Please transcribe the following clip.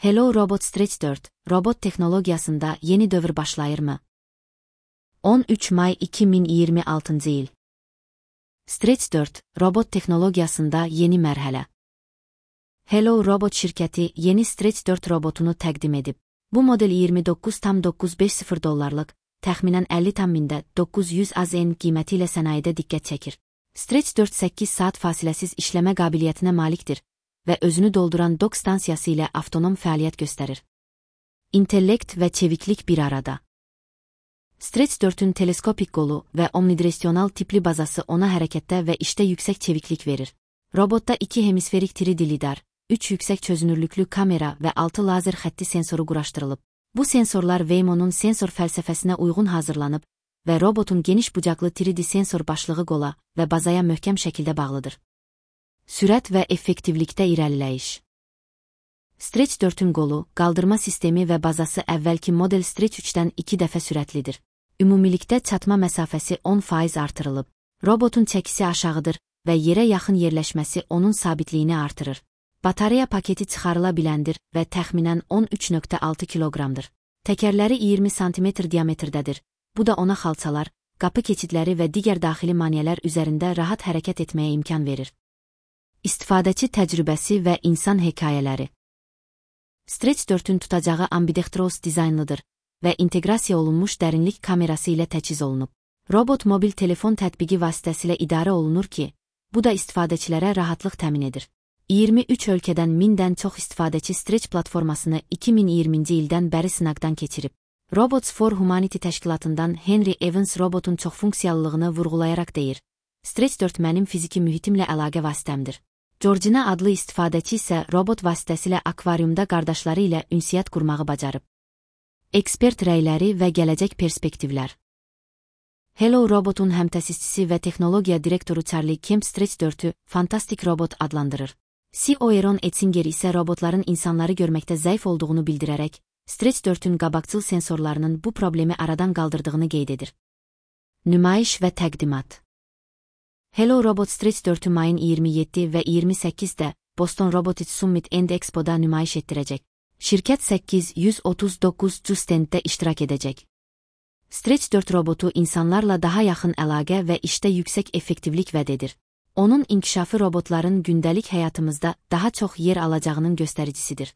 Hello Robot Stretch 4, robot teknologiyasında yeni dövr başlayırmı? 13 may 2026 il. Stretch 4, robot teknologiyasında yeni mərhələ. Hello Robot şirkəti yeni Stretch 4 robotunu təqdim edib. Bu model $29,950, təxminən 50,900 AZN qiyməti ilə sənayedə diqqət çəkir. Stretch 4 8 saat fasiləsiz işləmə qabiliyyətinə malikdir və özünü dolduran dok stansiyası ilə avtonom fəaliyyət göstərir. İntellekt və çeviklik bir arada. Stretch 4-ün teleskopik qolu və omnidireksional tipli bazası ona hərəkətdə və işdə yüksək çeviklik verir. Robotda 2 hemisferik 3D lidar, 3 yüksək çözünürlüklü kamera və 6 lazer xətti sensoru quraşdırılıb. Bu sensorlar Waymo'nun sensor fəlsəfəsinə uyğun hazırlanıb və robotun geniş bucaqlı 3D sensor başlığı qola və bazaya möhkəm şəkildə bağlıdır. Sürət və effektivlikdə irəliləyiş. Stretch 4-ün qolu, qaldırma sistemi və bazası əvvəlki model Stretch 3-dən 2 dəfə sürətlidir. Ümumilikdə çatma məsafəsi 10% artırılıb. Robotun çəkisi aşağıdır və yerə yaxın yerləşməsi onun sabitliyini artırır. Batareya paketi çıxarıla biləndir və təxminən 13,6 kiloqramdır. Təkərləri 20 sm diametrdədir. Bu da ona xalçalar, qapı keçidləri və digər daxili maneələr üzərində rahat hərəkət etməyə imkan verir. İstifadəçi təcrübəsi və insan hekayələri. Stretch 4-ün tutacağı ambidextrous dizaynlıdır və inteqrasiya olunmuş dərinlik kamerası ilə təchiz olunub. Robot mobil telefon tətbiqi vasitəsilə idarə olunur ki, bu da istifadəçilərə rahatlıq təmin edir. 23 ölkədən 1000-dən çox istifadəçi Stretch platformasını 2020-ci ildən bəri sınaqdan keçirib. Robots for Humanity təşkilatından Henry Evans robotun çoxfunksiyallılığını vurğulayaraq deyir: Stretch 4 mənim fiziki mühitimlə əlaqə vasitəmdir. Georgina adlı istifadəçi isə robot vasitəsilə akvariumda qardaşları ilə ünsiyyət qurmağı bacarıb. Ekspert rəyləri və gələcək perspektivlər. Hello Robot'un həmtəsisçisi və texnologiya direktoru Charlie Kemp Stretch 4-ü fantastik robot adlandırır. CEO Aaron Etzinger isə robotların insanları görməkdə zəif olduğunu bildirərək, Stretch 4-ün qabaqcıl sensorlarının bu problemi aradan qaldırdığını qeyd edir. Nümayiş və təqdimat. Hello Robot Stretch 4-ü mayın 27 və 28-də Boston Robotics Summit and Expo'da nümayiş etdirəcək. Şirkət 839 stenddə iştirak edəcək. Stretch 4 robotu insanlarla daha yaxın əlaqə və işdə yüksək effektivlik vəd edir. Onun inkişafı robotların gündəlik həyatımızda daha çox yer alacağının göstəricisidir.